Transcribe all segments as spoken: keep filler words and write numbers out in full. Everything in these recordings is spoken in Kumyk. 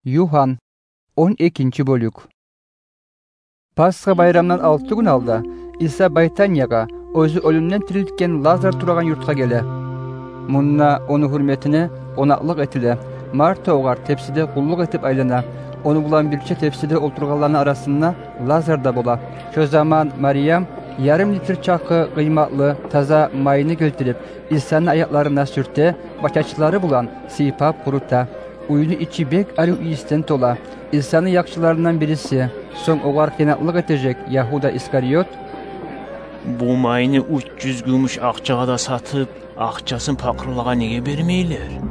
Югьан, он экинчи бёлюк. Пасха байрамдан алты гюн алда Иса Байтаниягъа, оьзю оьлюмден тирилтген Лазар турагъан юртгъа геле. Мунда ону гьюрметине къонакълыкъ этиле. Марта огъар тепсиде къуллукъ этип айлана. Ону булан бирче тепсиде олтургъанланы арасында Лазар да бола. Шо заман Мариям ярым литр чакъы къыйматлы таза майны гелтирип, Исаны аякъларына сюрте ва чачлары булан сыйпап къурута. Уьйню ичи бек арив ийисден тола. Исаны якъчыларындан бириси, сонг огъар хыянатлыкъ этежек Ягьуда Искариот: «Бу майны уьч юз гюмюш акъчагъа да сатып, акъчасын пакъырлагъа неге бермейлер?»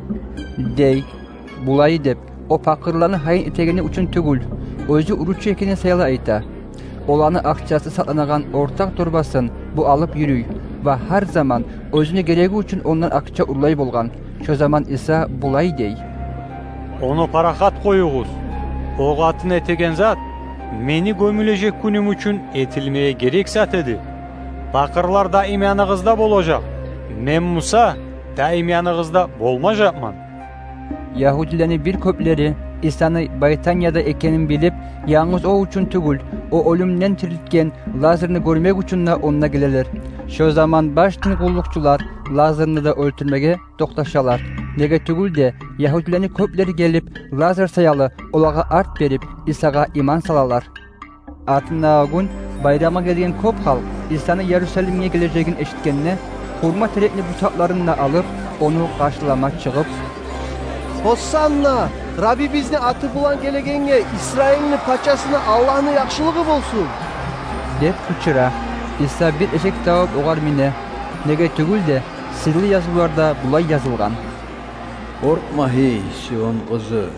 – дей. Булай деп, о пакъырланы гьайын этегени учун тюгюл, оьзю уручу экени саялы айта. Оланы акъчасы сакъланагъан ортакъ торбасын бу алып юрюй ва гьар заман оьзюне гереги учун ондан акъча урлай болгъан. Шо заман Иса булай дей: «Ону парахат къоюгъуз. О къатын этеген зат Мени гёмюлежек гюнюм учун этилмеге герек зат эди. Пакъырлар даим яныгъызда болажакъ, Мен буса даим яныгъызда болмажакъман». Ягьудилени бир кёплери Исаны Байтанияда экенин билип, янгыз о учун тюгюл, о оьлюмден тирилтген Лазарны гёрмек учун да онда гелелер. Шо заман баш дин къуллукъчулар Лазарны да оьлтюрмеге токъташалар. Неге тюгюл де, ягьудилени кёплери гелип, Лазар саялы олагъа арт берип, Исагъа иман салалар. Артындагъы гюн байрамгъа гелген кёп халкъ Исаны Ярусалимге гележегин эшитгенде, хурма терекни бутакъларын да алып, ону къаршылама чыгъып: «Гьоссанна! Раббибизни аты булан гелегенге, Исраилни пачасына Аллагьны яхшылыгъы болсун!» – деп къычыра. Иса бир эшек табып, огъар мине. Неге тюгюл де, сырлы язывларда булай язылгъан: «Къоркъма, гьей Сион къызы!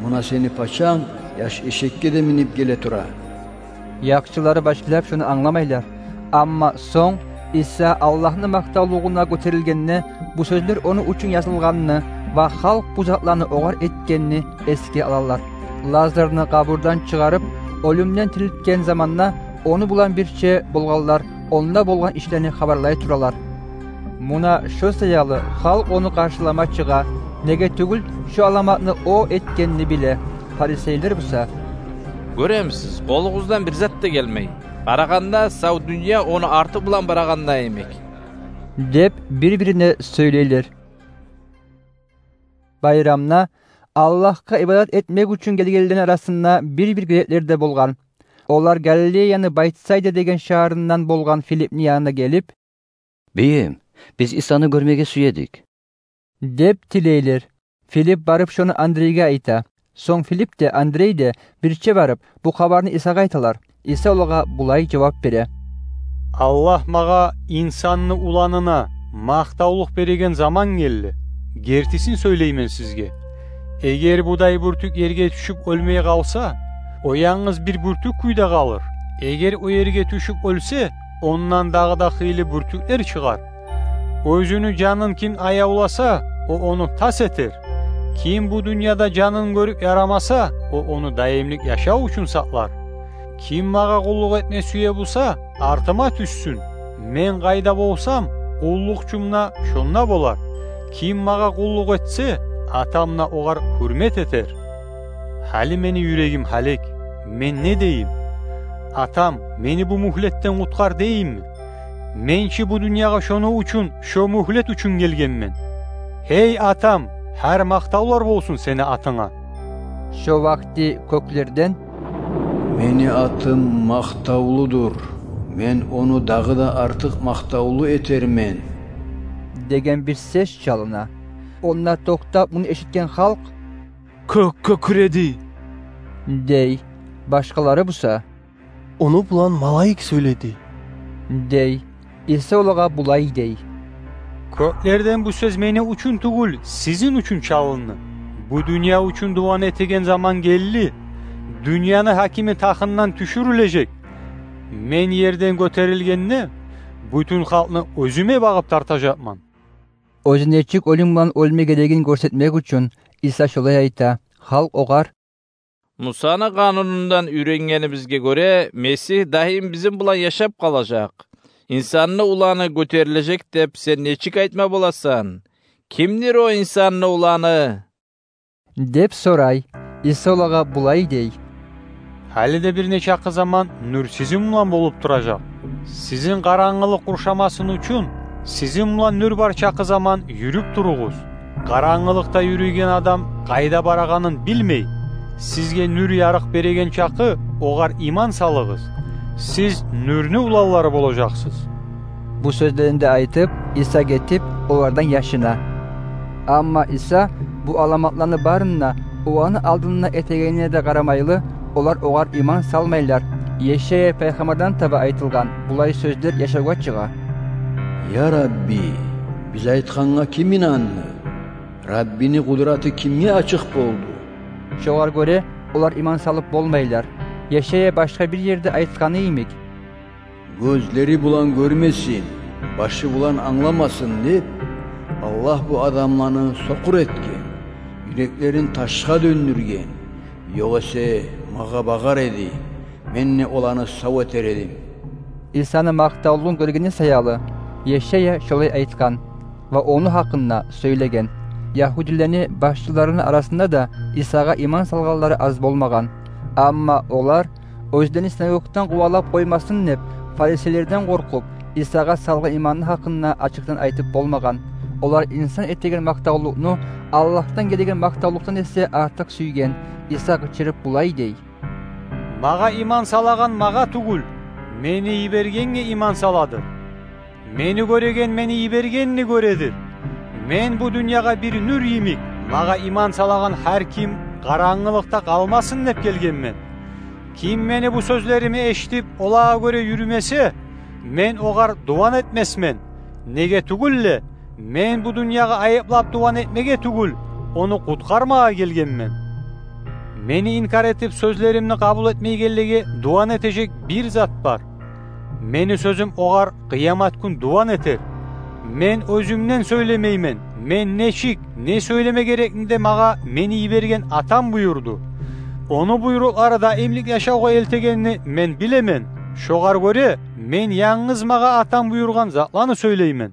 Муна сени пачанг яш эшекге де минип геле тура». Якъчылары башлап шону англамайлар. Амма сонг Иса Аллагьны макътавлугъуна гётерилгенде, бу сёзлер ону учун язылгъанны ва халкъ бу затланы огъар этгенни эсге алалар. Лазарны къабурдан чыгъарып, оьлюмден тирилтген заманда ону булан бирче болгъанлар онда болгъан ишлени хабарлай туралар. Муна шо саялы халкъ ону къаршылама чыгъа, неге тюгюл шо аламатны о этгенни биле. Фарисейлер буса: «Гёремисиз, къолугъуздан бир зат да гелмей. Къарагъанда, сав дюнья ону арты булан барагъанда йимик», – деп бир-бирине сёйлейлер. Байрамда Аллагьгъа ибадат этмек учун гелгенлени арасында бир-бир греклер де болгъан. Олар Галилеяны Байтсайда деген шагьарындан болгъан Филипни янына гелип: «Бийим, биз Исаны гёрмеге сюе эдик», – деп тилейлер. Филип барып шону Андрейге айта. Сонг Филип де, Андрей де бирче барып, бу хабарны Исагъа айталар. Иса олагъа булай жавап бере: «Аллагь магъа Инсанны Уланына макътавлукъ береген заман гелди. Гертисин сёйлеймен сизге: эгер будай бюртюк ерге тюшюп оьлмей къалса, о янгыз бир бюртюк кюйде къалыр. Эгер о ерге тюшюп оьлсе, ондан дагъы да хыйлы бюртюклер чыгъар. Оьзюню жанын ким аявласа, о ону тас этер. Ким бу дюньяда жанын гёрюп ярамаса, о ону даимлик яшав учун сакълар. Ким магъа къуллукъ этме сюе буса, артыма тюшсюн. Мен къайда болсам, къуллукъчум да шонда болар. Ким магъа къуллукъ этсе, Атам да огъар гьюрмет этер. Гьали мени юрегим гьалек. Мен не дейим? Атам, мени бу мюгьлетден къутгъар дейимми? Мен чи бу дюньягъа шону учун, шо мюгьлет учун гелгенмен. Гьей Атам, гьар макътавлар болсун сени атынга». Шо вакъти кёклерден: «Мени атым макътавлудур, мен ону дагъы да артыкъ макътавлу этермен», – деген бир сес чалына. Онда токътап, муну эшитген халкъ: «Кёк кёкюреди», – дей. Башгъалары буса: «Ону булан малайик сёйледи», – дей. Иса олагъа булай дей: «Кёклерден бу сёз мени учун тюгюл, сизин учун чалынды. Бу дюнья учун дуван этеген заман гелди. Дюньяны гьакими тахындан тюшюрюлежек. Мен ерден гётерилгенде, бютюн халкъны оьзюме багъып тартажакъман». Оьзю нечик оьлюм булан оьлме герегин гёрсетмек учун, Иса шолай айта. Халкъ огъар: «Мусаны Къанунундан уьйренгенибизге гёре, Месигь даим бизин булан яшап къалажакъ. Инсанны Уланы гётерилежек деп сен нечик айтма боласан? Кимдир о Инсанны Уланы?» — деп сорай. Иса олагъа булай дей: — Гьали де бир не чакъы заман нюр сизин булан болуп туражакъ. Сизин къарангылыкъ къуршамасын учун, сизин булан нюр бар чакъы заман юрюп туругъуз. Къарангылыкъда юрюйген адам къайда барагъанын билмей. Сизге нюр ярыкъ береген чакъы, огъар иман салыгъыз. Сиз нюрню уланлары болажакъсыз. Бу сёзлени де айтып, Иса гетип, олардан яшына. Амма Иса бу аламатланы барын да, оланы алдында этегенине де къарамайлы, олар огъар иман салмайлар. Ешая пайхаммардан таба айтылгъан булай сёзлер яшавгъа чыгъа: «Я Рабби, биз айтгъангъа ким инанды? Раббини къудраты кимге ачыкъ болду?» Шогъар гёре олар иман салып болмайлар. Ешая башгъа бир ерде айтгъаны йимик: «Гёзлери булан гёрмесин, башы булан англамасын деп, Аллагь бу адамланы сокъур этген, юреклерин ташгъа дёндюрген. Ёгъесе магъа багъар эди, мен де оланы сав этер эдим». Исаны макътавлугъун гёргени саялы, Ешая шолай айтгъан ва ону гьакъында сёйлеген. Ягьудилени башчыларыны арасында да Исагъа иман салгъанлары аз болмагъан. Амма олар оьзлени синагогдан къувалап къоймасын деп, фарисейлерден къоркъуп, Исагъа салгъан иманны гьакъында ачыкъдан айтып болмагъан. Олар инсан этеген макътавлукъну Аллагьдан гелеген макътавлукъдан эсе артыкъ сюйген. Иса къычырып булай дей: «Магъа иман салагъан магъа тюгюл, мени йибергенге иман саладыр. Мени гёреген мени йибергенни гёредир. Мен бу дюньягъа бир нюр йимик, магъа иман салагъан гьар ким къарангылыкъда къалмасын деп гелгенмен. Ким мени бу сёзлерими эшитип, олагъа гёре юрюмесе, мен огъар дуван этмесмен. Неге тюгюл де, мен бу дюньягъа айыплап дуван этмеге тюгюл, ону къутгъармагъа гелгенмен. Мени инкар этип, сёзлеримни къабул этмейгенлеге дуван этежек бир зат бар. Мени сёзюм огъар къыямат гюн дуван этер. Мен оьзюмден сёйлемеймен. Мен нечик, не сёйлеме герекни де магъа мени йиберген Атам буюрду. Ону буйрукълары даимлик яшавгъа элтегенни мен билемен. Шогъар гёре мен янгыз магъа Атам буюргъан затланы сёйлеймен».